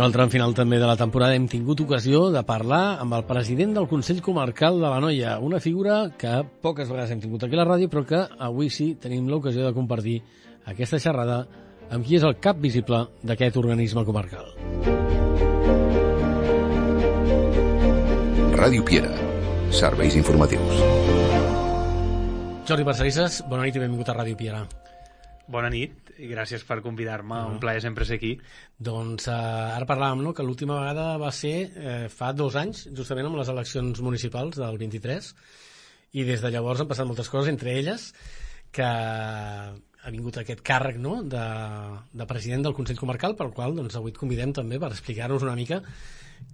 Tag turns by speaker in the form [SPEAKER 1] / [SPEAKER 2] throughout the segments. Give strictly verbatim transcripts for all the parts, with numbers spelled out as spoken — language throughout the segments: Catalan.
[SPEAKER 1] En el tram final també de la temporada hem tingut ocasió de parlar amb el president del Consell Comarcal de l'Anoia, una figura que poques vegades hem tingut aquí a la ràdio, però que avui sí tenim l'ocasió de compartir aquesta xerrada amb qui és el cap visible d'aquest organisme comarcal.
[SPEAKER 2] Ràdio Piera, serveis informatius.
[SPEAKER 1] Jordi Parcerisses, bona nit i benvingut a Ràdio Piera.
[SPEAKER 3] Bona nit i gràcies per convidar-me, uh -huh. un plaer sempre ser aquí.
[SPEAKER 1] Doncs eh, ara parlàvem, no?, que l'última vegada va ser eh, fa dos anys, justament amb les eleccions municipals del vint-i-tres, i des de llavors han passat moltes coses, entre elles que ha vingut aquest càrrec, no?, de, de president del Consell Comarcal, pel qual doncs, avui et convidem també per explicar-nos una mica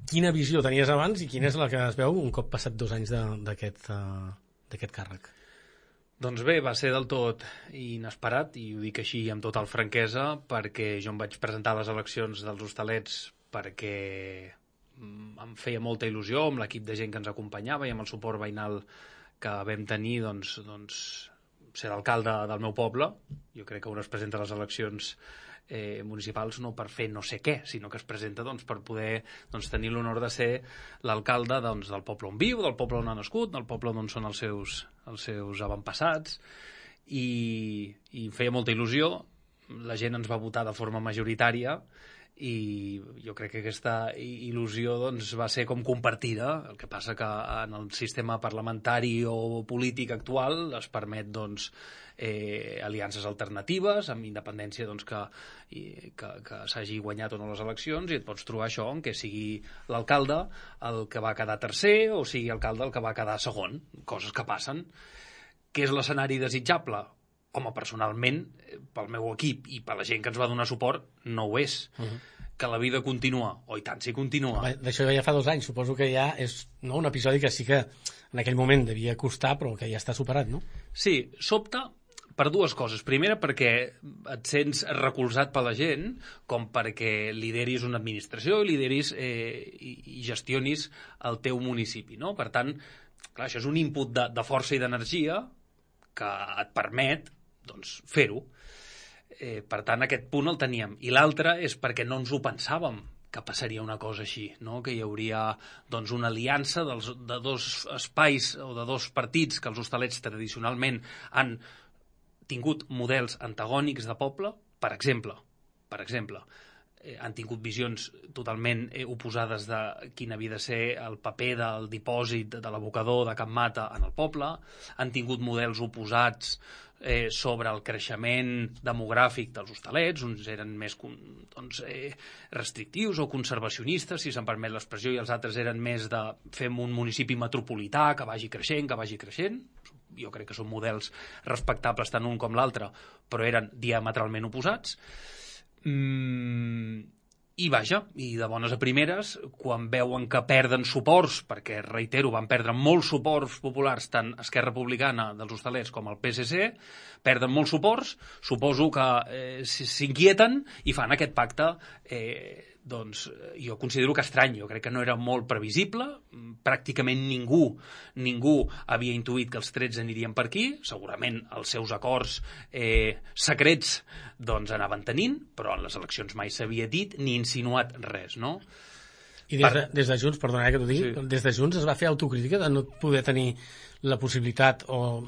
[SPEAKER 1] quina visió tenies abans i quina és la que es veu un cop passat dos anys d'aquest uh, d'aquest càrrec.
[SPEAKER 3] Doncs bé, va ser del tot inesperat, i ho dic així amb total franquesa, perquè jo em vaig presentar a les eleccions dels Hostalets perquè em feia molta il·lusió amb l'equip de gent que ens acompanyava i amb el suport veïnal que vam tenir, doncs, doncs ser l'alcalde del meu poble. Jo crec que un es presenta a les eleccions eh, municipals no per fer no sé què, sinó que es presenta doncs, per poder doncs, tenir l'honor de ser l'alcalde doncs, del poble on viu, del poble on ha nascut, del poble on són els seus, els seus avantpassats, i, i em feia molta il·lusió. La gent ens va votar de forma majoritària i jo crec que aquesta il·lusió doncs, va ser com compartida. El que passa que en el sistema parlamentari o polític actual es permet doncs, eh, aliances alternatives, amb independència doncs, que, i, que, que s'hagi guanyat o no les eleccions, i et pots trobar això en què sigui l'alcalde el que va quedar tercer o sigui l'alcalde el que va quedar segon, coses que passen. Què és l'escenari desitjable? Home, personalment, pel meu equip i per la gent que ens va donar suport, no ho és. Uh -huh. Que la vida continua, o i tant si continua.
[SPEAKER 1] D'això ja fa dos anys, suposo que ja és no, un episodi que sí que en aquell moment devia costar, però que ja està superat, no?
[SPEAKER 3] Sí, sobta per dues coses. Primera, perquè et sents recolzat per la gent, com perquè lideris una administració i lideris eh, i, i gestionis el teu municipi, no? Per tant, clar, això és un input de, de força i d'energia que et permet doncs, fer-ho. Eh, per tant, aquest punt el teníem. I l'altre és perquè no ens ho pensàvem que passaria una cosa així, no? Que hi hauria doncs, una aliança dels, de dos espais o de dos partits que els hostalets tradicionalment han tingut models antagònics de poble. Per exemple, per exemple eh, han tingut visions totalment eh, oposades de quin havia de ser el paper del dipòsit de l'abocador de Can Mata en el poble, han tingut models oposats Eh, sobre el creixement demogràfic dels hostalets. Uns eren més doncs, eh, restrictius o conservacionistes, si se'n permet l'expressió, i els altres eren més de fem un municipi metropolità que vagi creixent, que vagi creixent. Jo crec que són models respectables tant un com l'altre, però eren diametralment oposats. Mm, I vaja, i de bones a primeres, quan veuen que perden suports, perquè, reitero, van perdre molts suports populars, tant Esquerra Republicana dels Hostalets com el P S C, perden molts suports, suposo que eh, s'inquieten i fan aquest pacte, eh, doncs jo considero que estrany, jo crec que no era molt previsible, pràcticament ningú, ningú havia intuït que els trets anirien per aquí, segurament els seus acords eh, secrets doncs anaven tenint, però en les eleccions mai s'havia dit ni insinuat res, no?
[SPEAKER 1] I des de, des de Junts, perdona que t'ho digui, sí. Des de Junts es va fer autocrítica de no poder tenir la possibilitat o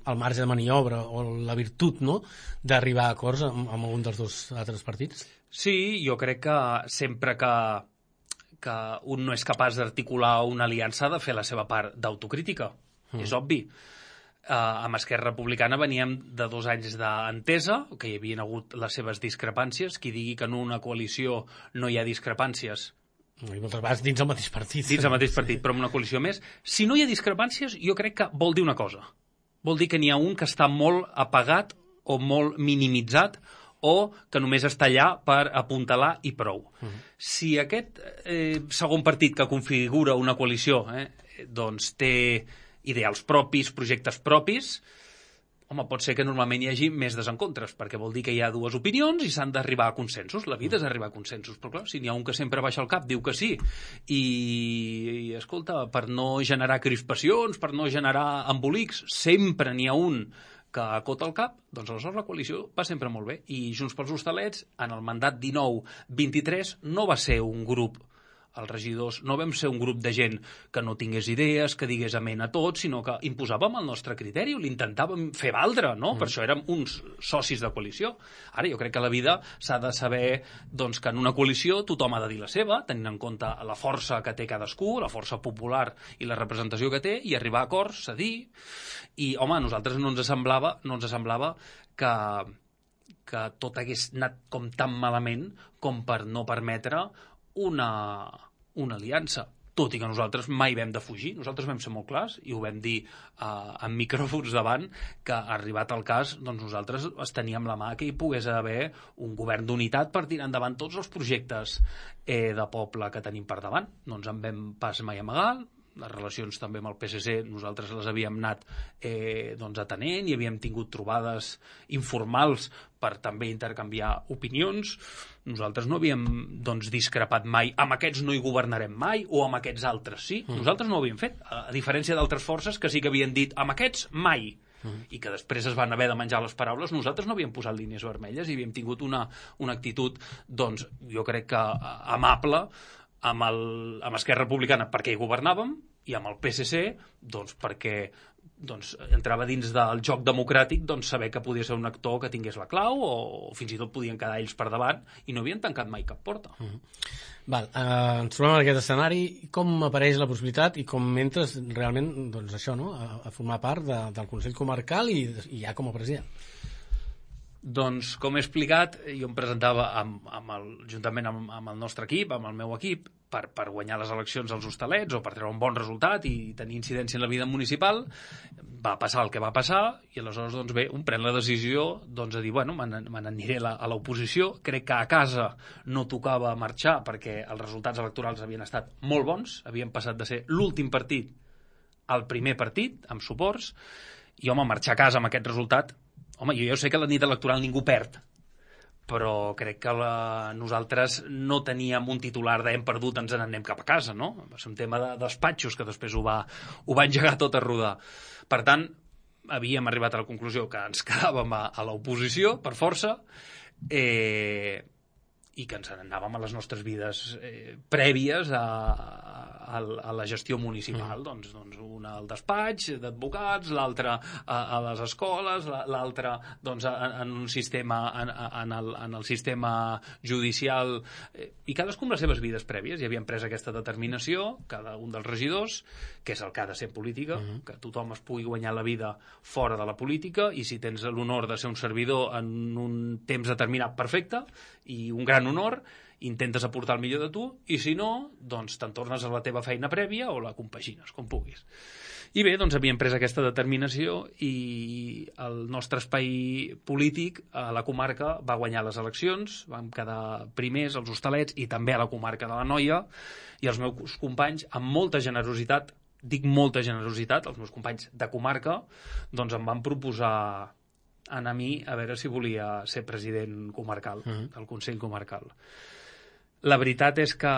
[SPEAKER 1] el marge de maniobra o la virtut, no?, d'arribar a acords amb, amb algun dels dos altres partits?
[SPEAKER 3] Sí, jo crec que sempre que, que un no és capaç d'articular una aliança ha de fer la seva part d'autocrítica, mm. és obvi. Uh, amb Esquerra Republicana veníem de dos anys d'entesa, que hi havia hagut les seves discrepàncies. Qui digui que en una coalició no hi ha discrepàncies,
[SPEAKER 1] i moltes vegades dins el mateix partit.
[SPEAKER 3] Dins el mateix partit, sí. Però amb una coalició més. Si no hi ha discrepàncies, jo crec que vol dir una cosa. Vol dir que n'hi ha un que està molt apagat o molt minimitzat o que només està allà per apuntalar i prou. Uh -huh. Si aquest eh, segon partit que configura una coalició eh, doncs té ideals propis, projectes propis, home, pot ser que normalment hi hagi més desencontres, perquè vol dir que hi ha dues opinions i s'han d'arribar a consensos. La vida és arribar a consensos, però clar, si n'hi ha un que sempre baixa el cap, diu que sí, i, i escolta, per no generar crispacions, per no generar embolics, sempre n'hi ha un que acota el cap, doncs aleshores la coalició va sempre molt bé. I Junts pels Hostalets, en el mandat dinou vint-i-tres, no va ser un grup, els regidors, no vam ser un grup de gent que no tingués idees, que digués amén a tot, sinó que imposàvem el nostre criteri, l'intentàvem fer valdre, no? Mm. Per això érem uns socis de coalició. Ara, jo crec que a la vida s'ha de saber doncs, que en una coalició tothom ha de dir la seva, tenint en compte la força que té cadascú, la força popular i la representació que té, i arribar a acords, cedir. I, home, a nosaltres no ens semblava, no ens semblava que, que tot hagués anat com tan malament com per no permetre una, una aliança, tot i que nosaltres mai vam defugir, nosaltres vam ser molt clars i ho vam dir uh, amb micròfons davant, que arribat al cas doncs nosaltres es teníem la mà que hi pogués haver un govern d'unitat per tirar endavant tots els projectes eh, de poble que tenim per davant. No ens en vam pas mai amagar. Les relacions també amb el P S C nosaltres les havíem anat eh, doncs atenent i havíem tingut trobades informals per també intercanviar opinions. Nosaltres no havíem doncs, discrepat mai, amb aquests no hi governarem mai o amb aquests altres sí. Mm. Nosaltres no ho havíem fet, a diferència d'altres forces que sí que havien dit amb aquests mai. Mm. I que després es van haver de menjar les paraules. Nosaltres no havíem posat línies vermelles i havíem tingut una, una actitud, doncs, jo crec que amable amb, el, amb Esquerra Republicana perquè hi governàvem i amb el P S C doncs, perquè doncs, entrava dins del joc democràtic doncs, saber que podia ser un actor que tingués la clau o, o fins i tot podien quedar ells per davant i no havien tancat mai cap porta.
[SPEAKER 1] Mm -hmm. Val, eh, ens trobem en aquest escenari. Com apareix la possibilitat i com entres realment doncs, això, no? a, a formar part de, del Consell Comarcal i, i ja com a president?
[SPEAKER 3] Doncs, com he explicat, jo em presentava amb, amb el, juntament amb, amb el nostre equip, amb el meu equip, per, per guanyar les eleccions als Hostalets o per treure un bon resultat i tenir incidència en la vida municipal. Va passar el que va passar i aleshores, doncs bé, un pren la decisió doncs, de dir, bueno, me n'aniré a l'oposició. Crec que a casa no tocava marxar perquè els resultats electorals havien estat molt bons, havien passat de ser l'últim partit al primer partit, amb suports, i, home, marxar a casa amb aquest resultat. Home, jo ja sé que la nit electoral ningú perd, però crec que la, nosaltres no teníem un titular de hem perdut, ens n'anem cap a casa, no? Va ser un tema de despatxos que després ho va, ho va engegar tot a rodar. Per tant, havíem arribat a la conclusió que ens quedàvem a, a l'oposició, per força, eh, i que ens n'anàvem a les nostres vides eh, prèvies a, a, a la gestió municipal. Mm. Doncs, doncs una al despatx d'advocats, l'altra a, a les escoles, l'altra doncs, en un sistema en, en, el, en el sistema judicial, eh, i cadascú amb les seves vides prèvies. I havíem pres aquesta determinació, cada un dels regidors, que és el que ha de ser política, mm. que tothom es pugui guanyar la vida fora de la política, i si tens l'honor de ser un servidor en un temps determinat, perfecte, i un gran honor, intentes aportar el millor de tu, i si no, doncs te'n tornes a la teva feina prèvia o la compagines, com puguis. I bé, doncs havíem pres aquesta determinació i el nostre espai polític a la comarca va guanyar les eleccions, vam quedar primers als Hostalets i també a la comarca de l'Anoia, i els meus companys, amb molta generositat, dic molta generositat, els meus companys de comarca, doncs em van proposar a mi a veure si volia ser president comarcal, uh-huh. del Consell Comarcal. La veritat és que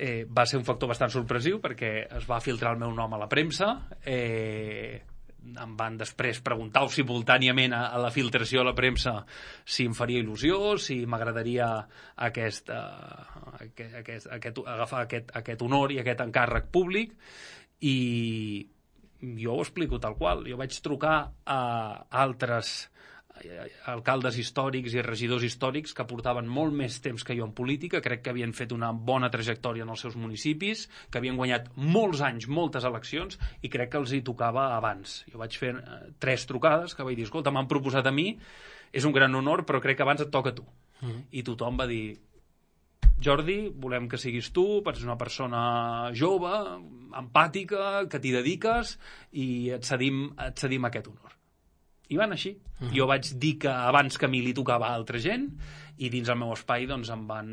[SPEAKER 3] eh, va ser un factor bastant sorpresiu perquè es va filtrar el meu nom a la premsa, eh, em van després preguntar simultàniament a, a la filtració a la premsa si em faria il·lusió, si m'agradaria aquest, uh, aquest, aquest, aquest, agafar aquest, aquest honor i aquest encàrrec públic, i jo ho explico tal qual. Jo vaig trucar a altres alcaldes històrics i regidors històrics que portaven molt més temps que jo en política, crec que havien fet una bona trajectòria en els seus municipis, que havien guanyat molts anys, moltes eleccions, i crec que els hi tocava abans. Jo vaig fer eh, tres trucades que vaig dir, escolta, m'han proposat a mi, és un gran honor, però crec que abans et toca a tu. Mm. I tothom va dir, Jordi, volem que siguis tu, ets una persona jove, empàtica, que t'hi dediques, i et cedim, et cedim aquest honor. I van així. Uh-huh. Jo vaig dir que abans que a mi li tocava a altra gent, i dins el meu espai doncs, em van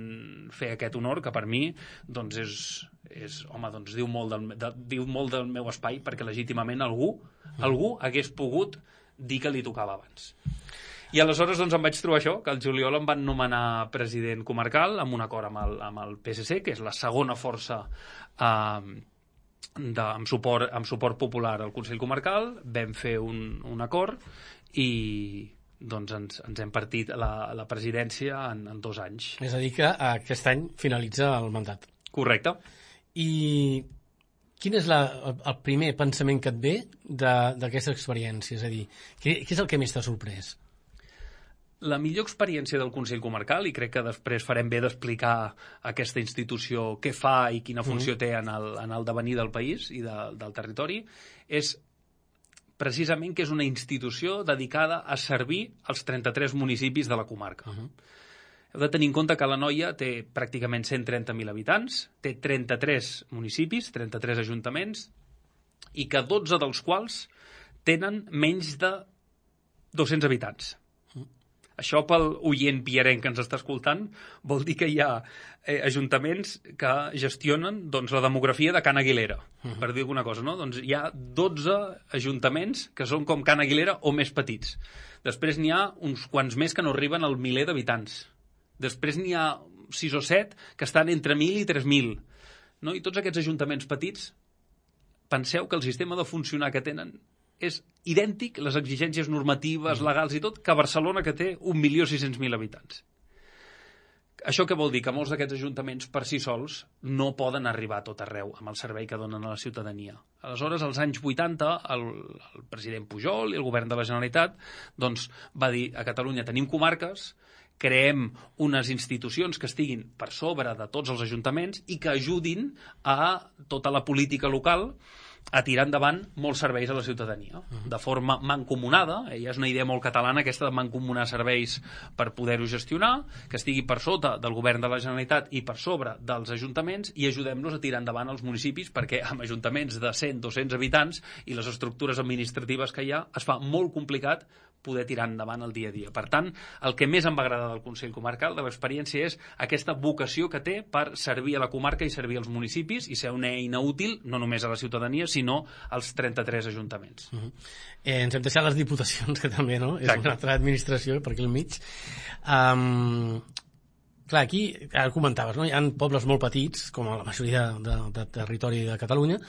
[SPEAKER 3] fer aquest honor, que per mi doncs, és, és, home, doncs, diu, molt del, de, diu molt del meu espai, perquè legítimament algú, uh-huh. algú hagués pogut dir que li tocava abans. I aleshores doncs, em vaig trobar això, que el juliol em van nomenar president comarcal amb un acord amb el, amb el P S C, que és la segona força eh, de, amb, suport, amb suport popular al Consell Comarcal. Vam fer un, un acord i doncs ens, ens hem partit la, la presidència en, en dos anys.
[SPEAKER 1] És a dir, que aquest any finalitza el mandat.
[SPEAKER 3] Correcte.
[SPEAKER 1] I quin és la, el, el primer pensament que et ve d'aquesta experiència? És a dir, què, què és el que més t'ha sorprès?
[SPEAKER 3] La millor experiència del Consell Comarcal, i crec que després farem bé d'explicar aquesta institució què fa i quina funció mm. té en el, en el devenir del país i de, del territori, és precisament que és una institució dedicada a servir els trenta-tres municipis de la comarca. Uh-huh. Heu de tenir en compte que l'Anoia té pràcticament cent trenta mil habitants, té trenta-tres municipis, trenta-tres ajuntaments, i que dotze dels quals tenen menys de dos-cents habitants. Això, pel oient pierenc que ens està escoltant, vol dir que hi ha eh, ajuntaments que gestionen doncs, la demografia de Can Aguilera, uh-huh. per dir alguna cosa, no? Doncs hi ha dotze ajuntaments que són com Can Aguilera o més petits. Després n'hi ha uns quants més que no arriben al miler d'habitants. Després n'hi ha sis o set que estan entre mil i tres mil. No? I tots aquests ajuntaments petits, penseu que el sistema de funcionar que tenen és idèntic, les exigències normatives, legals i tot, que Barcelona, que té un milió sis-cents mil habitants. Això què vol dir? Que molts d'aquests ajuntaments per si sols no poden arribar a tot arreu amb el servei que donen a la ciutadania. Aleshores, als anys vuitanta, el, el president Pujol i el govern de la Generalitat doncs, va dir a Catalunya tenim comarques, creem unes institucions que estiguin per sobre de tots els ajuntaments i que ajudin a tota la política local a tirar endavant molts serveis a la ciutadania, de forma mancomunada. Eh, ja és una idea molt catalana aquesta de mancomunar serveis per poder-ho gestionar, que estigui per sota del govern de la Generalitat i per sobre dels ajuntaments, i ajudem-los a tirar endavant els municipis, perquè amb ajuntaments de cent a dos-cents habitants i les estructures administratives que hi ha, es fa molt complicat poder tirar endavant el dia a dia. Per tant, el que més em va agradar del Consell Comarcal, de l'experiència, és aquesta vocació que té per servir a la comarca i servir als municipis i ser una eina útil, no només a la ciutadania, sinó als trenta-tres ajuntaments. Uh-huh.
[SPEAKER 1] eh, ens hem deixat les diputacions, que també, no? És una altra administració per aquí al mig. Um, clar, aquí, ara comentaves, no? Hi ha pobles molt petits, com a la majoria de, de, de territori de Catalunya,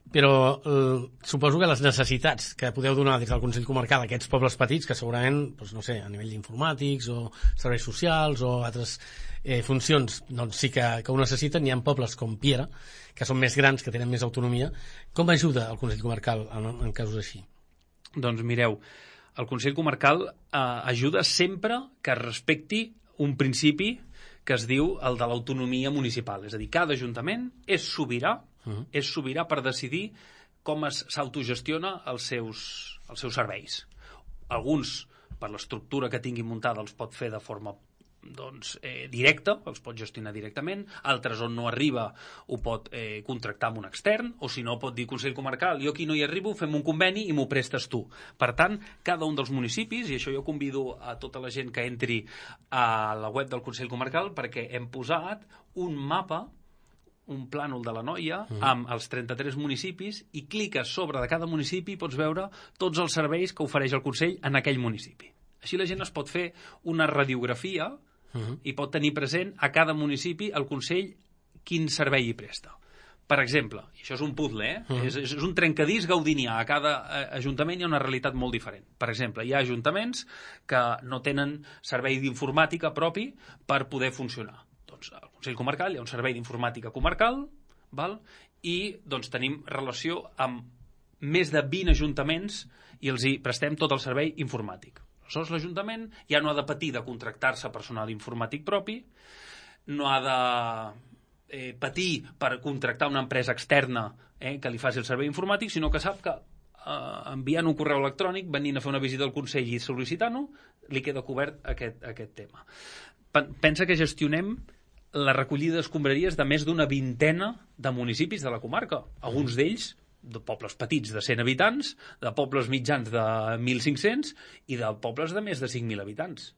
[SPEAKER 1] però eh, suposo que les necessitats que podeu donar des del Consell Comarcal a aquests pobles petits, que segurament, doncs, no sé, a nivell d'informàtics o serveis socials o altres eh, funcions, doncs sí que, que ho necessiten. Hi ha pobles com Piera, que són més grans, que tenen més autonomia. Com ajuda el Consell Comarcal en, en casos així?
[SPEAKER 3] Doncs mireu, el Consell Comarcal eh, ajuda sempre que respecti un principi que es diu el de l'autonomia municipal. És a dir, cada ajuntament és sobirà, uh-huh. és sobirà per decidir com s'autogestiona els seus, els seus serveis. Alguns, per l'estructura que tingui muntada, els pot fer de forma doncs, eh, directa, els pot gestionar directament. Altres, on no arriba, ho pot eh, contractar amb un extern, o si no, pot dir Consell Comarcal, jo aquí no hi arribo, fem un conveni i m'ho prestes tu. Per tant, cada un dels municipis, i això jo convido a tota la gent que entri a la web del Consell Comarcal, perquè hem posat un mapa, un plànol de l'Anoia, mm. amb els trenta-tres municipis, i cliques sobre de cada municipi i pots veure tots els serveis que ofereix el Consell en aquell municipi. Així la gent es pot fer una radiografia uh-huh. i pot tenir present a cada municipi el Consell quin servei hi presta. Per exemple, i això és un puzzle, eh? uh-huh. és, és un trencadís gaudinià, a cada eh, ajuntament hi ha una realitat molt diferent. Per exemple, hi ha ajuntaments que no tenen servei d'informàtica propi per poder funcionar. Doncs al Consell Comarcal hi ha un servei d'informàtica comarcal, val? I doncs tenim relació amb més de vint ajuntaments i els hi prestem tot el servei informàtic. Aleshores, l'Ajuntament ja no ha de patir de contractar-se personal informàtic propi, no ha de eh, patir per contractar una empresa externa eh, que li faci el servei informàtic, sinó que sap que eh, enviant un correu electrònic, venint a fer una visita al Consell i sol·licitant-ho, li queda cobert aquest, aquest tema. Pensa que gestionem la recollida d'escombraries de més d'una vintena de municipis de la comarca. Alguns d'ells de pobles petits de cent habitants, de pobles mitjans de mil cinc-cents i de pobles de més de cinc mil habitants.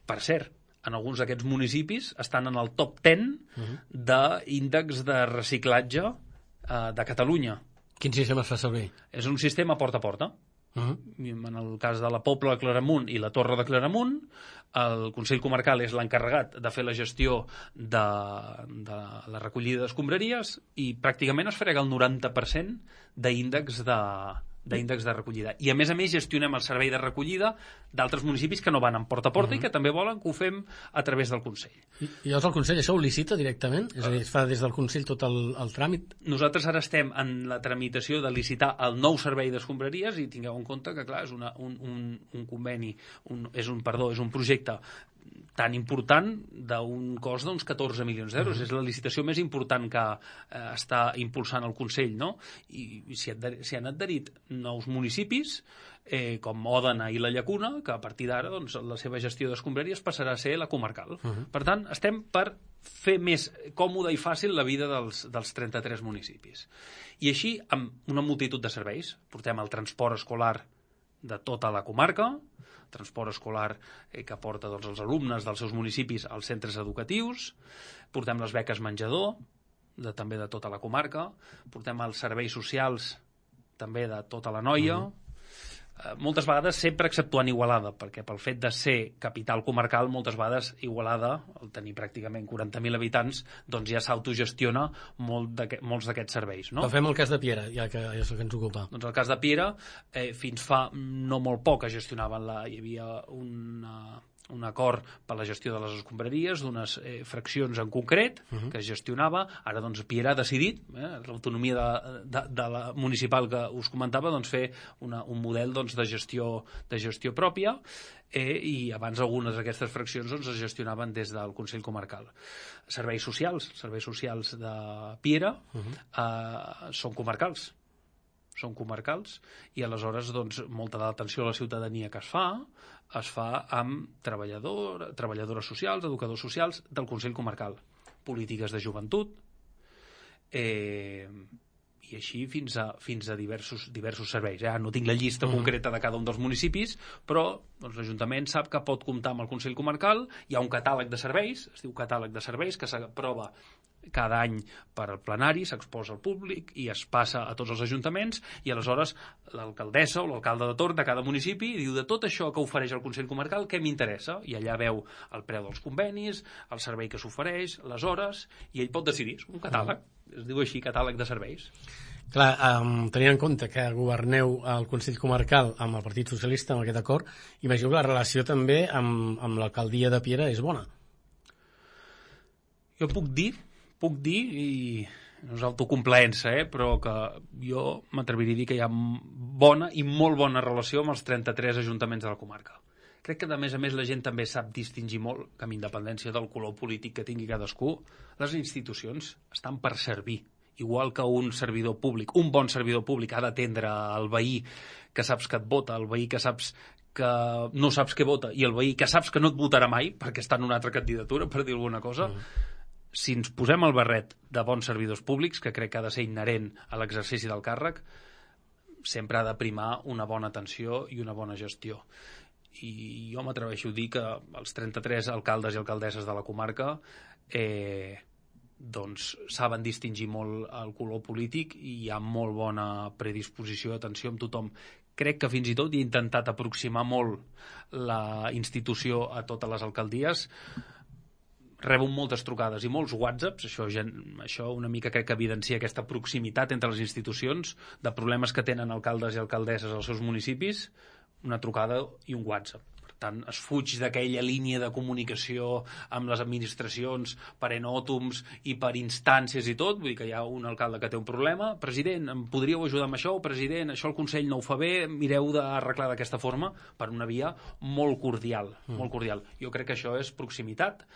[SPEAKER 3] Per cert, en alguns d'aquests municipis estan en el top deu uh-huh. d'índex de reciclatge eh, de Catalunya.
[SPEAKER 1] Quin sistema es fa servir?
[SPEAKER 3] És un sistema porta a porta. Uh-huh. En el cas de la Pobla de Claramunt i la Torre de Claramunt, el Consell Comarcal és l'encarregat de fer la gestió de, de la recollida d'escombraries i pràcticament es frega el noranta per cent d'índex de, d'índex de recollida. I a més a més gestionem el servei de recollida d'altres municipis que no van en porta a porta uh-huh. i que també volen que ho fem a través del Consell.
[SPEAKER 1] I, i llavors el Consell això ho licita directament? És a dir, es fa des del Consell tot el, el tràmit?
[SPEAKER 3] Nosaltres ara estem en la tramitació de licitar el nou servei d'escombraries i tingueu en compte que, clar, és una, un, un, un conveni, un, és un, perdó, és un projecte tan important d'un cost d'uns catorze milions d'euros. Uh-huh. És la licitació més important que eh, està impulsant el Consell, no? I, i s'hi han adherit nous municipis, eh, com Òdena i la Llacuna, que a partir d'ara doncs, la seva gestió d'escombraries passarà a ser la comarcal. Uh-huh. Per tant, estem per fer més còmoda i fàcil la vida dels, dels trenta-tres municipis. I així, amb una multitud de serveis, portem el transport escolar de tota la comarca, transport escolar eh, que porta doncs, els alumnes dels seus municipis als centres educatius, portem les beques menjador, de, també de tota la comarca, portem els serveis socials també de tota la Noia, uh-huh. eh, moltes vegades sempre exceptuant Igualada, perquè pel fet de ser capital comarcal, moltes vegades Igualada, al tenir pràcticament quaranta mil habitants, doncs ja s'autogestiona molt molts d'aquests serveis. No?
[SPEAKER 1] Però fem el cas de Piera, ja que ja és el que ens ocupa.
[SPEAKER 3] Doncs el cas de Piera, eh, fins fa no molt poc es gestionaven, la, hi havia una... un acord per la gestió de les escombraries d'unes eh, fraccions en concret uh-huh. que es gestionava. Ara doncs Piera ha decidit, eh, l'autonomia de, de, de la municipal que us comentava, doncs fer una, un model doncs, de gestió de gestió pròpia eh, i abans algunes d'aquestes fraccions doncs, es gestionaven des del Consell Comarcal. Serveis socials, serveis socials de Piera uh-huh. eh, són comarcals. són comarcals i aleshores doncs, molta de l'atenció a la ciutadania que es fa es fa amb treballador, treballadores socials, educadors socials del Consell Comarcal, polítiques de joventut eh, i així fins a, fins a diversos, diversos serveis. Ja no tinc la llista uh-huh. concreta de cada un dels municipis, però doncs, l'Ajuntament sap que pot comptar amb el Consell Comarcal, hi ha un catàleg de serveis, es diu catàleg de serveis, que s'aprova cada any per al plenari, s'exposa al públic i es passa a tots els ajuntaments i aleshores l'alcaldessa o l'alcalde de torn de cada municipi diu de tot això que ofereix el Consell Comarcal què m'interessa i allà veu el preu dels convenis, el servei que s'ofereix, les hores i ell pot decidir, és un catàleg, es diu així catàleg de serveis.
[SPEAKER 1] Clar, um, tenint en compte que governeu el Consell Comarcal amb el Partit Socialista amb aquest acord, imagino que la relació també amb, amb l'alcaldia de Piera és bona.
[SPEAKER 3] Jo puc dir puc dir, i no és autocomplaença, eh, però que jo m'atreviria a dir que hi ha bona i molt bona relació amb els trenta-tres ajuntaments de la comarca. Crec que, a més a més, la gent també sap distingir molt, que amb independència del color polític que tingui cadascú, les institucions estan per servir. Igual que un servidor públic, un bon servidor públic ha d'atendre el veí que saps que et vota, el veí que saps que no saps què vota i el veí que saps que no et votarà mai perquè està en una altra candidatura, per dir alguna cosa, mm. si ens posem el barret de bons servidors públics, que crec que ha de ser inherent a l'exercici del càrrec, sempre ha de primar una bona atenció i una bona gestió. I jo m'atreveixo a dir que els trenta-tres alcaldes i alcaldesses de la comarca eh, doncs saben distingir molt el color polític i hi ha molt bona predisposició d'atenció amb tothom. Crec que fins i tot he intentat aproximar molt la institució a totes les alcaldies. Rebo moltes trucades i molts whatsapps, això, això una mica crec que evidencia aquesta proximitat entre les institucions, de problemes que tenen alcaldes i alcaldesses als seus municipis, una trucada i un whatsapp. Per tant, es fuig d'aquella línia de comunicació amb les administracions per enòtoms i per instàncies i tot, vull dir que hi ha un alcalde que té un problema, president, em podríeu ajudar amb això? President, això el Consell no ho fa bé, mireu d'arreglar d'aquesta forma, per una via molt cordial, mm. molt cordial. Jo crec que això és proximitat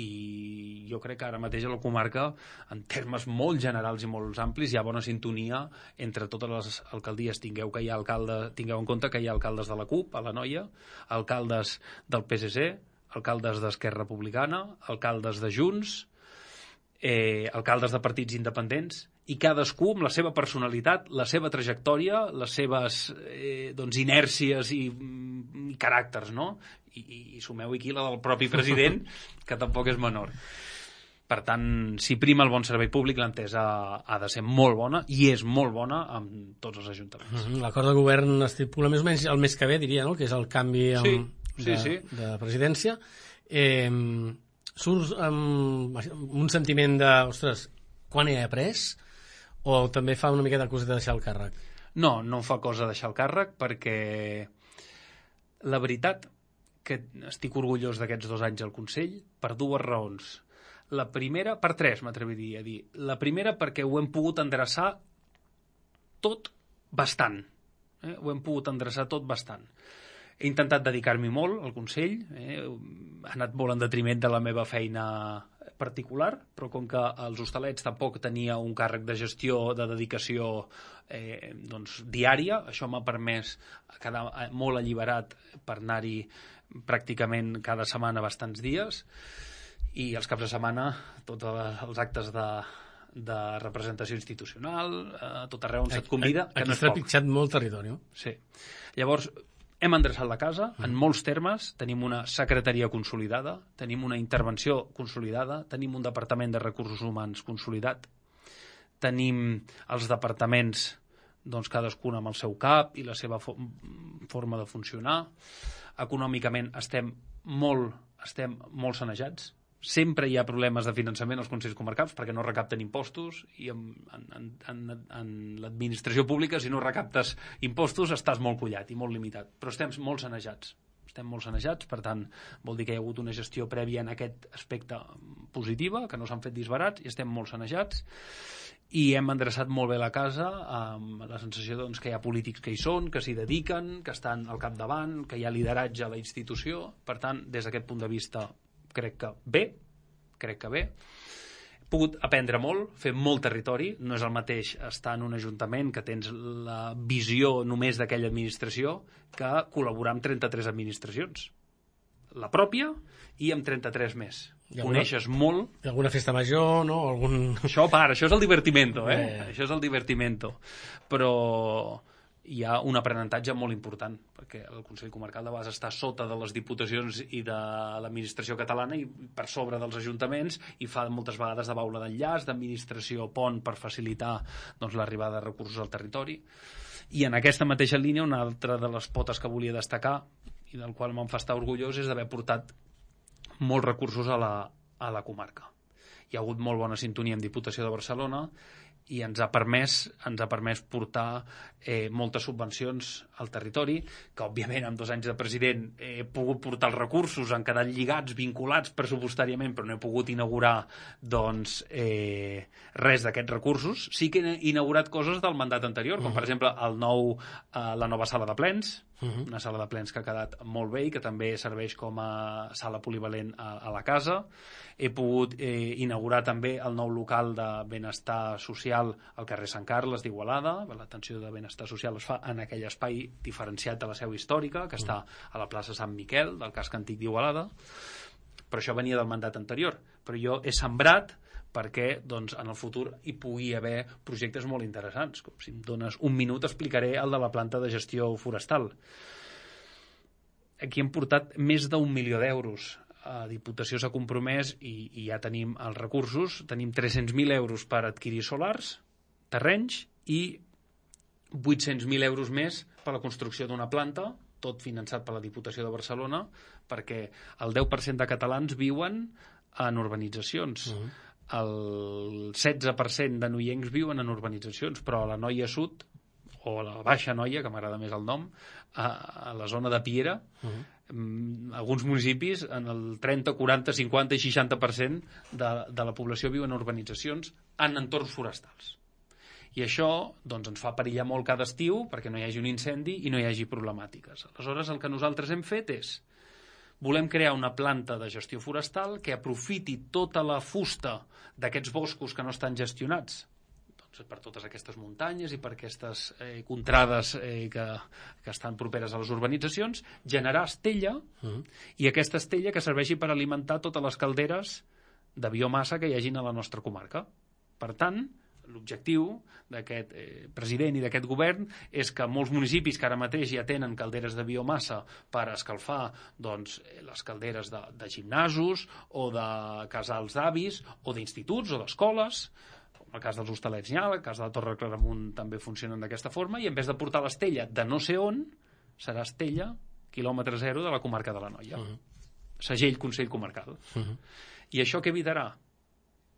[SPEAKER 3] i jo crec que ara mateix a la comarca, en termes molt generals i molt amplis, hi ha bona sintonia entre totes les alcaldies. Tingueu, que hi ha alcalde, tingueu en compte que hi ha alcaldes de la CUP a la Noia, alcaldes del P S C, alcaldes d'Esquerra Republicana, alcaldes de Junts, eh, alcaldes de partits independents, i cadascú amb la seva personalitat, la seva trajectòria, les seves eh, doncs, inèrcies i, i caràcters, no? I, i, i sumeu aquí la del propi president, que tampoc és menor. Per tant, si prima el bon servei públic, l'entesa ha de ser molt bona, i és molt bona amb tots els ajuntaments.
[SPEAKER 1] Mm-hmm. L'acord de govern estipula més o menys el mes que ve, diria, no? Que és el canvi amb,
[SPEAKER 3] sí, sí,
[SPEAKER 1] de,
[SPEAKER 3] sí.
[SPEAKER 1] de presidència. Eh, surts amb un sentiment de, ostres, quan he après? O també fa una miqueta cosa de deixar el càrrec?
[SPEAKER 3] No, no em fa cosa deixar el càrrec perquè la veritat que estic orgullós d'aquests dos anys al Consell per dues raons. La primera, per tres m'atreviria a dir. La primera perquè ho hem pogut endreçar tot bastant. Eh? Ho hem pogut endreçar tot bastant. He intentat dedicar-m'hi molt al Consell, eh? ha anat molt en detriment de la meva feina particular, però com que els hostalets tampoc tenia un càrrec de gestió, de dedicació eh, doncs, diària, això m'ha permès quedar molt alliberat per anar-hi pràcticament cada setmana bastants dies, i els caps de setmana tots els actes de, de representació institucional, a tot arreu on se't convida, que no és poc.
[SPEAKER 1] Aquí s'ha pitjat molt territori.
[SPEAKER 3] Sí. Llavors, hem endreçat la casa, en molts termes, tenim una secretaria consolidada, tenim una intervenció consolidada, tenim un departament de recursos humans consolidat, tenim els departaments, doncs, cadascun amb el seu cap i la seva fo forma de funcionar. Econòmicament estem molt, estem molt sanejats. Sempre hi ha problemes de finançament als consells comarcals perquè no recapten impostos i en, en, en, en l'administració pública, si no recaptes impostos, estàs molt collat i molt limitat. Però estem molt sanejats. Estem molt sanejats, per tant, vol dir que hi ha hagut una gestió prèvia en aquest aspecte positiva, que no s'han fet disbarats, i estem molt sanejats. I hem endreçat molt bé la casa amb la sensació doncs, que hi ha polítics que hi són, que s'hi dediquen, que estan al capdavant, que hi ha lideratge a la institució. Per tant, des d'aquest punt de vista, crec que bé, crec que bé. He pogut aprendre molt, fer molt territori. No és el mateix estar en un ajuntament que tens la visió només d'aquella administració que col·laborar amb trenta-tres administracions. La pròpia i amb trenta-tres més. Coneixes molt.
[SPEAKER 1] I alguna festa major, no? Algun...
[SPEAKER 3] Això, part, això és el divertimento, eh?
[SPEAKER 1] eh?
[SPEAKER 3] Això és el divertimento. Però hi ha un aprenentatge molt important, perquè el Consell Comarcal de vegades està sota de les diputacions i de l'administració catalana i per sobre dels ajuntaments, i fa moltes vegades de baula d'enllaç, d'administració pont per facilitar doncs, l'arribada de recursos al territori. I en aquesta mateixa línia, una altra de les potes que volia destacar i del qual me'n fa estar orgullós és d'haver portat molts recursos a la, a la comarca. Hi ha hagut molt bona sintonia amb Diputació de Barcelona i ens ha permès, ens ha permès portar eh, moltes subvencions al territori, que òbviament amb dos anys de president he pogut portar els recursos, han quedat lligats, vinculats pressupostàriament, però no he pogut inaugurar doncs, eh, res d'aquests recursos. Sí que he inaugurat coses del mandat anterior, com per exemple el nou, eh, la nova sala de plens, Uh-huh. una sala de plens que ha quedat molt bé i que també serveix com a sala polivalent a, a la casa. He pogut eh, inaugurar també el nou local de benestar social al carrer Sant Carles d'Igualada. L'atenció de benestar social es fa en aquell espai diferenciat de la seu històrica, que uh-huh. està a la plaça Sant Miquel, del casc antic d'Igualada. Però això venia del mandat anterior. Però jo he sembrat perquè doncs, en el futur hi pugui haver projectes molt interessants. Com si em dones un minut explicaré el de la planta de gestió forestal. Aquí hem portat més d'un milió d'euros. A Diputació s'ha compromès i, i ja tenim els recursos. Tenim tres-cents mil euros per adquirir solars, terrenys, i vuit-cents mil euros més per la construcció d'una planta, tot finançat per la Diputació de Barcelona, perquè el deu per cent de catalans viuen en urbanitzacions. Uh-huh. El setze per cent de noiencs viuen en urbanitzacions, però a la Noia Sud, o a la Baixa Noia, que m'agrada més el nom, a, a la zona de Piera, uh-huh. alguns municipis, en el trenta, quaranta, cinquanta i seixanta per cent de, de la població viu en urbanitzacions en entorns forestals. I això doncs, ens fa perillar molt cada estiu perquè no hi hagi un incendi i no hi hagi problemàtiques. Aleshores, el que nosaltres hem fet és volem crear una planta de gestió forestal que aprofiti tota la fusta d'aquests boscos que no estan gestionats, doncs per totes aquestes muntanyes i per aquestes eh, contrades eh, que, que estan properes a les urbanitzacions, generar estella, uh-huh. i aquesta estella que serveixi per alimentar totes les calderes de biomassa que hi hagin a la nostra comarca. Per tant, l'objectiu d'aquest eh, president i d'aquest govern és que molts municipis que ara mateix ja tenen calderes de biomassa per escalfar doncs, les calderes de, de gimnasos o de casals d'avis o d'instituts o d'escoles, com el cas dels Hostalets n'hi ha, el cas de la Torre Claramunt també funcionen d'aquesta forma, i en vez de portar l'estella de no sé on, serà estella quilòmetre zero de la comarca de l'Anoia. Uh-huh. Segell Consell Comarcal. Uh-huh. I això què evitarà?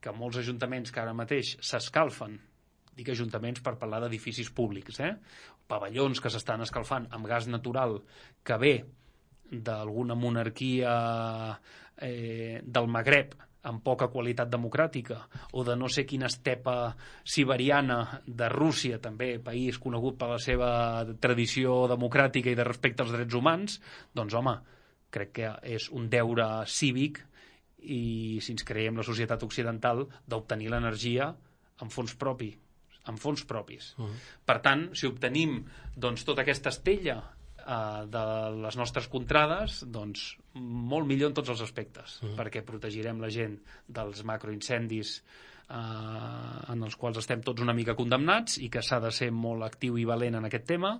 [SPEAKER 3] Que molts ajuntaments que ara mateix s'escalfen dic ajuntaments per parlar d'edificis públics, eh? Pavellons que s'estan escalfant amb gas natural que ve d'alguna monarquia eh, del Magreb amb poca qualitat democràtica, o de no sé quina estepa siberiana de Rússia, també país conegut per la seva tradició democràtica i de respecte als drets humans, doncs home, crec que és un deure cívic i si ens creiem la societat occidental d'obtenir l'energia amb fons propi, amb fons propis. Uh-huh. Per tant, si obtenim doncs, tota aquesta estella Uh, de les nostres contrades, doncs molt millor en tots els aspectes, uh-huh. perquè protegirem la gent dels macroincendis uh, en els quals estem tots una mica condemnats i que s'ha de ser molt actiu i valent en aquest tema.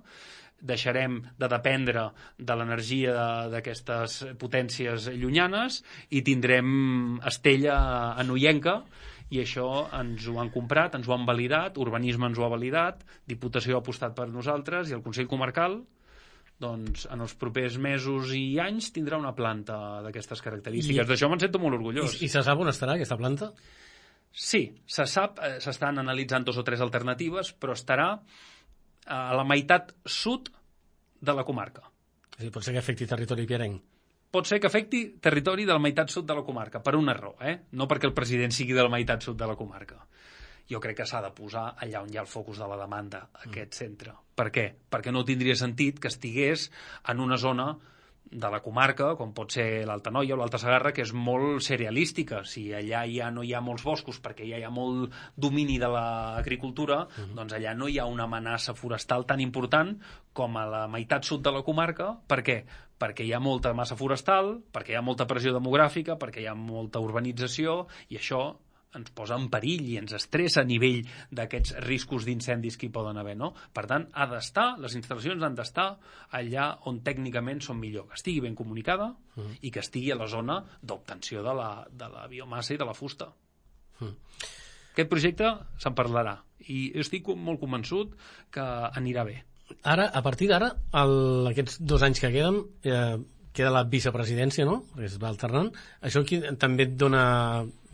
[SPEAKER 3] Deixarem de dependre de l'energia d'aquestes potències llunyanes i tindrem estella anoienca, i això ens ho han comprat, ens ho han validat, Urbanisme ens ho ha validat, Diputació ha apostat per nosaltres i el Consell Comarcal doncs en els propers mesos i anys tindrà una planta d'aquestes característiques. I... D'això me'n sento molt orgullós.
[SPEAKER 1] I, I se sap on estarà aquesta planta?
[SPEAKER 3] Sí, se sap, eh, s'estan analitzant dos o tres alternatives, però estarà a la meitat sud de la comarca.
[SPEAKER 1] Sí, pot ser que afecti territori pierenc.
[SPEAKER 3] Pot ser que afecti territori de la meitat sud de la comarca, per una raó, eh? No perquè el president sigui de la meitat sud de la comarca. Jo crec que s'ha de posar allà on hi ha el focus de la demanda, aquest centre. Per què? Perquè no tindria sentit que estigués en una zona de la comarca, com pot ser l'Alta Noia o l'Alta Segarra, que és molt cerealística. Si allà ja no hi ha molts boscos perquè ja hi ha molt domini de l'agricultura, uh-huh. doncs allà no hi ha una amenaça forestal tan important com a la meitat sud de la comarca. Per què? Perquè hi ha molta massa forestal, perquè hi ha molta pressió demogràfica, perquè hi ha molta urbanització, i això ens posa en perill i ens estressa a nivell d'aquests riscos d'incendis que hi poden haver, no? Per tant, ha d'estar, les instal·lacions han d'estar allà on tècnicament són millor, que estigui ben comunicada uh-huh. i que estigui a la zona d'obtenció de la, de la biomassa i de la fusta. Uh-huh. Aquest projecte se'n parlarà i estic molt convençut que anirà bé.
[SPEAKER 1] Ara, a partir d'ara, el, aquests dos anys que queden, eh, queda la vicepresidència, no? Es va alternant. Això aquí també et dona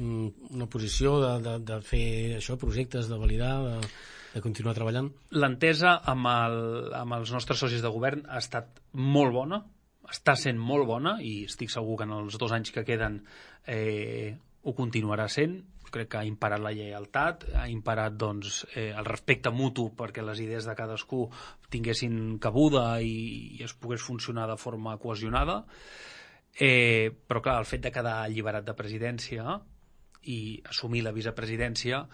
[SPEAKER 1] una posició de, de, de fer això, projectes, de validar, de, de continuar treballant?
[SPEAKER 3] L'entesa amb, el, amb els nostres socis de govern ha estat molt bona, està sent molt bona, i estic segur que en els dos anys que queden eh, ho continuarà sent. Crec que ha imparat la lleialtat, ha imparat doncs, eh, el respecte mutu perquè les idees de cadascú tinguessin cabuda i, i es pogués funcionar de forma cohesionada. Eh, però clar, el fet de quedar alliberat de presidència i assumir la vicepresidència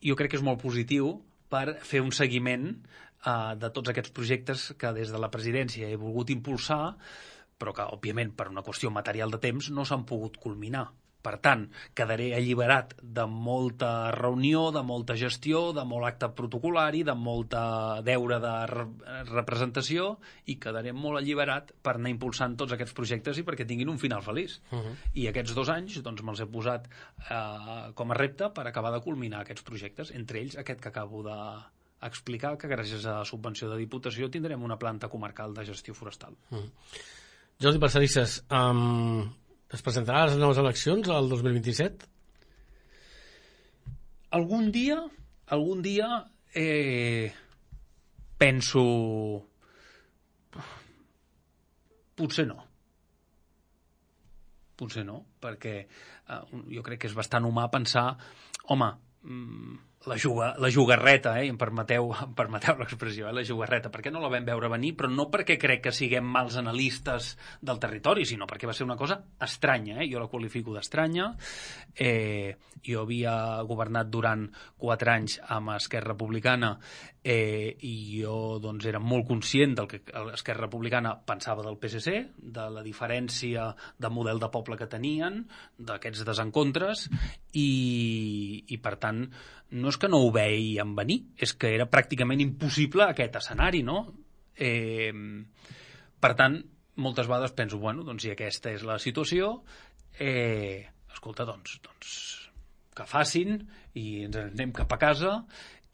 [SPEAKER 3] jo crec que és molt positiu per fer un seguiment eh, de tots aquests projectes que des de la presidència he volgut impulsar, però que òbviament per una qüestió material de temps no s'han pogut culminar. Per tant, quedaré alliberat de molta reunió, de molta gestió, de molt acte protocolari, de molta deure de re- representació, i quedaré molt alliberat per anar impulsant tots aquests projectes i perquè tinguin un final feliç. Uh-huh. I aquests dos anys doncs, me'ls he posat eh, com a repte per acabar de culminar aquests projectes, entre ells aquest que acabo d'explicar, que gràcies a subvenció de Diputació tindrem una planta comarcal de gestió forestal.
[SPEAKER 1] Uh-huh. Jordi Parcerisses, um... es presentarà a les noves eleccions el dos mil vint-i-set?
[SPEAKER 3] Algun dia, algun dia eh, penso... Potser no. Potser no, perquè eh, jo crec que és bastant humà pensar, home, mm, la, juga, la jugarreta, eh, em permeteu, em permeteu l'expressió, eh, la jugarreta, perquè no la vam veure venir, però no perquè crec que siguem mals analistes del territori, sinó perquè va ser una cosa estranya, eh, jo la qualifico d'estranya. Eh, jo havia governat durant quatre anys amb Esquerra Republicana eh, i jo doncs, era molt conscient del que Esquerra Republicana pensava del P S C, de la diferència de model de poble que tenien, d'aquests desencontres, i, i per tant no és que no ho veiem venir, és que era pràcticament impossible aquest escenari, no? Eh, per tant, moltes vegades penso, bueno, doncs si aquesta és la situació, eh, escolta, doncs, doncs que facin i ens anem cap a casa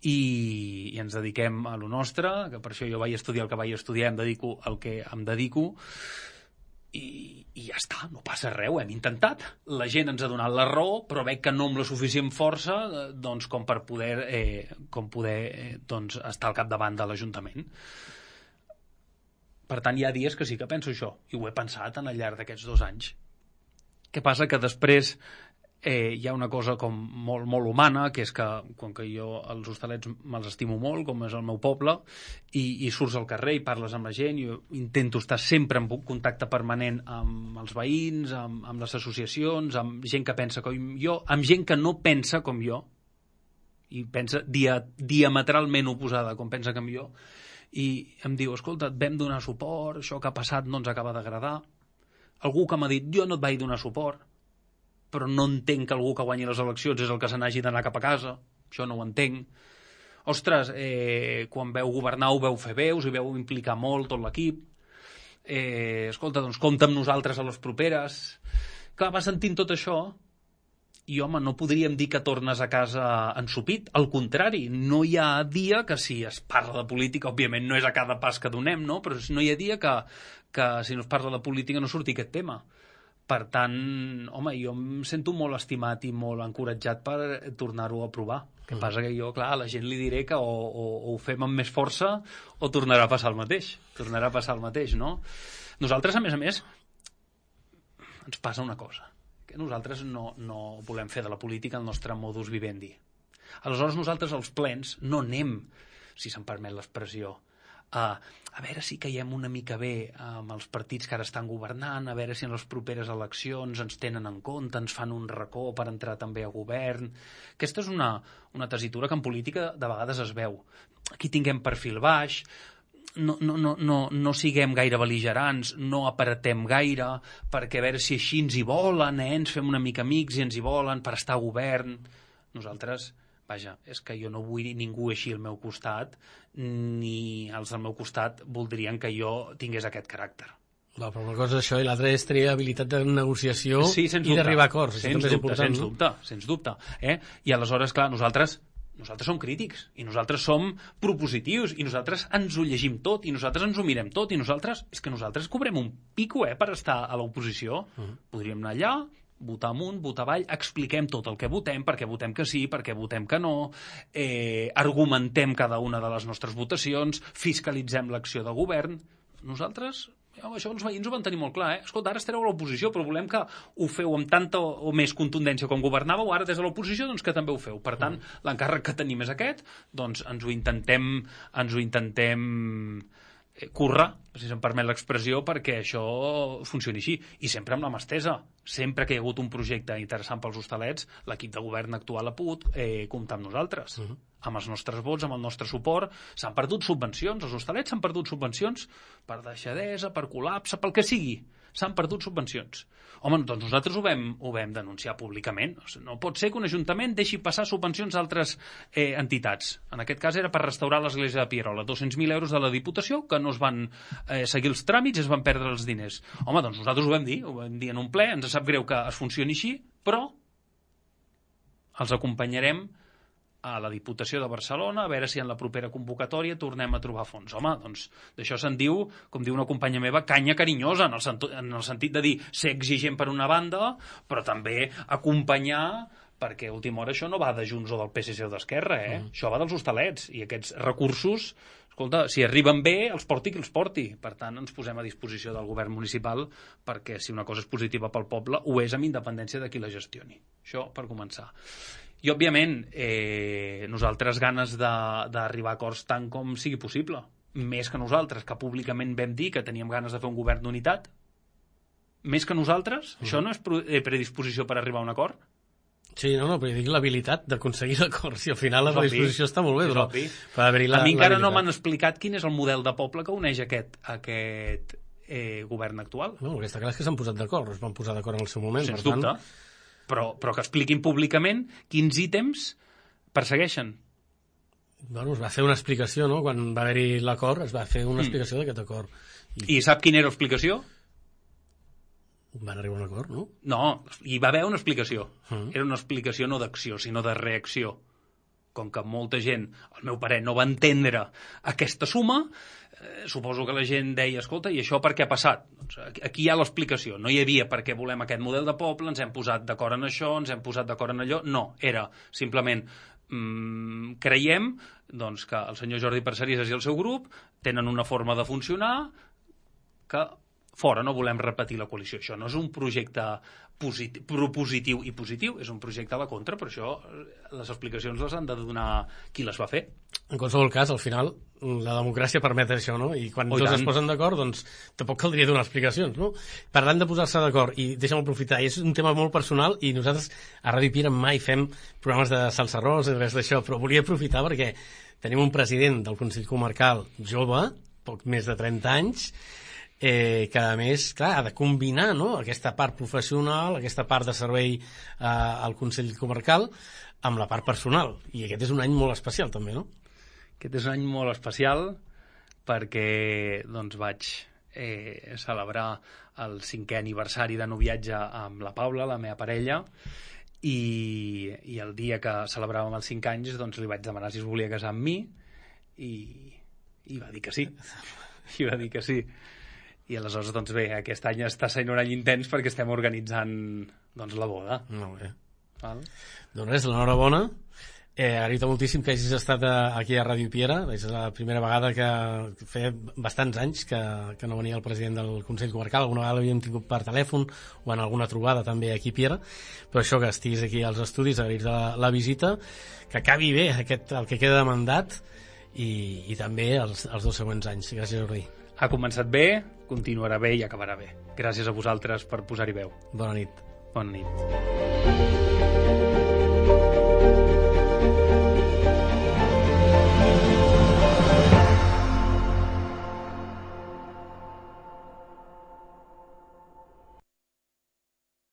[SPEAKER 3] i, i ens dediquem a lo nostre, que per això jo vaig estudiar el que vaig estudiar, em dedico al que em dedico, i, i ja està, no passa res, ho hem intentat. La gent ens ha donat la raó, però veig que no amb la suficient força doncs, com per poder, eh, com poder eh, doncs, estar al capdavant de l'Ajuntament. Per tant, hi ha dies que sí que penso això, i ho he pensat en el llarg d'aquests dos anys. Què passa? Que després eh, hi ha una cosa com molt, molt humana, que és que, com que jo els Hostalets me'ls estimo molt, com és el meu poble, i, i surts al carrer i parles amb la gent, jo intento estar sempre en contacte permanent amb els veïns, amb, amb les associacions, amb gent que pensa com jo, amb gent que no pensa com jo, i pensa dia, diametralment oposada com pensa com jo, i em diu, escolta, et vam donar suport, això que ha passat no ens acaba d'agradar. Algú que m'ha dit, jo no et vaig donar suport, però no entenc que algú que guanyi les eleccions és el que se n'hagi d'anar cap a casa, això no ho entenc. Ostres, eh, quan veu governar ho veu fer bé, us hi veu implicar molt tot l'equip, eh, escolta, doncs compta amb nosaltres a les properes. Clar, va sentint tot això, i home, no podríem dir que tornes a casa ensopit, al contrari, no hi ha dia que si es parla de política, òbviament no és a cada pas que donem, no? Però no hi ha dia que, que si no es parla de política no surti aquest tema. Per tant, home, jo em sento molt estimat i molt encoratjat per tornar-ho a provar. El que mm. passa que jo, clar, a la gent li diré que o, o, o ho fem amb més força o tornarà a passar el mateix. Tornarà a passar el mateix, no? Nosaltres, a més a més, ens passa una cosa. Que nosaltres no, no volem fer de la política el nostre modus vivendi. Aleshores nosaltres als plens no anem, si se'm permet l'expressió, a, a veure si caiem una mica bé amb els partits que ara estan governant, a veure si en les properes eleccions ens tenen en compte, ens fan un racó per entrar també a govern. Aquesta és una, una tessitura que en política de vegades es veu. Aquí tinguem perfil baix, No, no, no, no, no siguem gaire bel·ligerants, no apretem gaire, perquè a veure si així ens hi volen, eh? Ens fem una mica amics i ens hi volen per estar a govern. Nosaltres, vaja, és que jo no vull ningú així al meu costat, ni els del meu costat voldrien que jo tingués aquest caràcter.
[SPEAKER 1] Va, però una cosa és això i l'altra és tenir habilitat de negociació
[SPEAKER 3] sí,
[SPEAKER 1] i d'arribar a acords.
[SPEAKER 3] Sens
[SPEAKER 1] dubte,
[SPEAKER 3] dubte, sens
[SPEAKER 1] no?
[SPEAKER 3] dubte, sens dubte. Eh? I aleshores, clar, nosaltres... Nosaltres som crítics, i nosaltres som propositius, i nosaltres ens ho llegim tot, i nosaltres ens ho mirem tot, i nosaltres... És que nosaltres cobrem un pico, eh, per estar a l'oposició. Uh-huh. Podríem anar allà, votar amunt, votar avall, expliquem tot el que votem, perquè votem que sí, perquè votem que no, eh, argumentem cada una de les nostres votacions, fiscalitzem l'acció de govern. Nosaltres... Això els veïns ho van tenir molt clar, eh? Escolta, ara estareu a l'oposició, però volem que ho feu amb tanta o més contundència com governàveu, ara des de l'oposició, doncs que també ho feu. Per tant, mm. l'encàrrec que tenim és aquest, doncs ens ho intentem, ens ho intentem currar, si se'm permet l'expressió, perquè això funcioni així. I sempre amb la mà estesa. Sempre que hi ha hagut un projecte interessant pels Hostalets, l'equip de govern actual ha pogut eh, comptar amb nosaltres. Uh-huh. Amb els nostres vots, amb el nostre suport. S'han perdut subvencions, els Hostalets s'han perdut subvencions per deixadesa, per col·lapse, pel que sigui. S'han perdut subvencions. Home, doncs nosaltres ho vam, ho vam denunciar públicament. No pot ser que un ajuntament deixi passar subvencions d'altres eh, entitats. En aquest cas era per restaurar l'església de Pierola. dos-cents mil euros de la Diputació que no es van eh, seguir els tràmits i es van perdre els diners. Home, doncs nosaltres ho vam dir, ho vam dir en un ple, ens sap greu que es funcioni així, però els acompanyarem a la Diputació de Barcelona, a veure si en la propera convocatòria tornem a trobar fons. Home, doncs d'això se'n diu, com diu una companya meva, canya carinyosa, en el, sent en el sentit de dir ser exigent per una banda, però també acompanyar, perquè a última hora això no va de Junts o del P S C o d'Esquerra, eh? Mm. Això va dels Hostalets, i aquests recursos, escolta, si arriben bé, els porti qui els porti. Per tant, ens posem a disposició del govern municipal perquè si una cosa és positiva pel poble, ho és amb independència de qui la gestioni. Això per començar. I, òbviament, eh, nosaltres ganes d'arribar a acords tant com sigui possible. Més que nosaltres, que públicament vam dir que teníem ganes de fer un govern d'unitat. Més que nosaltres, mm. això no és predisposició per arribar a un acord?
[SPEAKER 1] Sí, no, no, però dic l'habilitat d'aconseguir l'acord. Si al final la predisposició està molt bé, però per haver-hi la,
[SPEAKER 3] a mi encara no m'han explicat quin és el model de poble que uneix aquest, aquest eh, govern actual.
[SPEAKER 1] No, el que està clar és que s'han posat d'acord, es van posar d'acord en el seu moment.
[SPEAKER 3] Sens
[SPEAKER 1] per
[SPEAKER 3] dubte.
[SPEAKER 1] Tant...
[SPEAKER 3] Però, però que expliquin públicament quins ítems persegueixen.
[SPEAKER 1] Bueno, es va fer una explicació, no? Quan va haver-hi l'acord, es va fer una explicació mm. d'aquest acord.
[SPEAKER 3] I... I sap quina era l'explicació?
[SPEAKER 1] Van arribar a un acord, no?
[SPEAKER 3] No, hi va haver una explicació.
[SPEAKER 1] Mm.
[SPEAKER 3] Era una explicació no d'acció, sinó de reacció. com que molta gent, al meu parer, no va entendre aquesta suma, eh, suposo que la gent deia, escolta, i això per què ha passat? Doncs aquí hi ha l'explicació. No hi havia per què volem aquest model de poble, ens hem posat d'acord en això, ens hem posat d'acord en allò. No, era simplement mmm, creiem doncs, que el senyor Jordi Parcerisas i el seu grup tenen una forma de funcionar que fora no volem repetir la coalició. Això no és un projecte positiu, propositiu i positiu, és un projecte a la contra, per això les explicacions les han de donar qui les va fer.
[SPEAKER 1] En qualsevol cas, al final, la democràcia permet això, no? I quan oh, tots es posen d'acord, doncs tampoc caldria donar explicacions, no? Parlant de posar-se d'acord, i deixa'm aprofitar, és un tema molt personal i nosaltres a Ràdio Piera mai fem programes de salsa rosa i res d'això, però volia aprofitar perquè tenim un president del Consell Comarcal jove, poc més de trenta anys, Eh, que a més, clar, ha de combinar, no?, aquesta part professional, aquesta part de servei eh, al Consell Comarcal amb la part personal, i aquest és un any molt especial també, no?
[SPEAKER 3] Aquest és un any molt especial perquè doncs vaig eh, celebrar el cinquè aniversari de noviatge amb la Paula, la meva parella, i, i el dia que celebràvem els cinc anys doncs li vaig demanar si es volia casar amb mi i, i va dir que sí i va dir que sí. I aleshores, doncs bé, aquest any està sent un any intens perquè estem organitzant doncs, la boda.
[SPEAKER 1] Molt bé.
[SPEAKER 3] Val?
[SPEAKER 1] Doncs res, l'enhorabona. Eh, agraït moltíssim que hagis estat aquí a Ràdio Piera. És la primera vegada que feia bastants anys que, que no venia el president del Consell Comarcal. Alguna vegada l'havíem tingut per telèfon o en alguna trobada també aquí a Piera. Però això, que estiguis aquí als estudis, agrair-te la, la visita, que acabi bé aquest, el que queda de mandat i, i també els, els dos següents anys. Gràcies, Jordi.
[SPEAKER 3] Ha començat bé, continuarà bé i acabarà bé. Gràcies a vosaltres per posar-hi veu.
[SPEAKER 1] Bona nit.
[SPEAKER 3] Bona nit.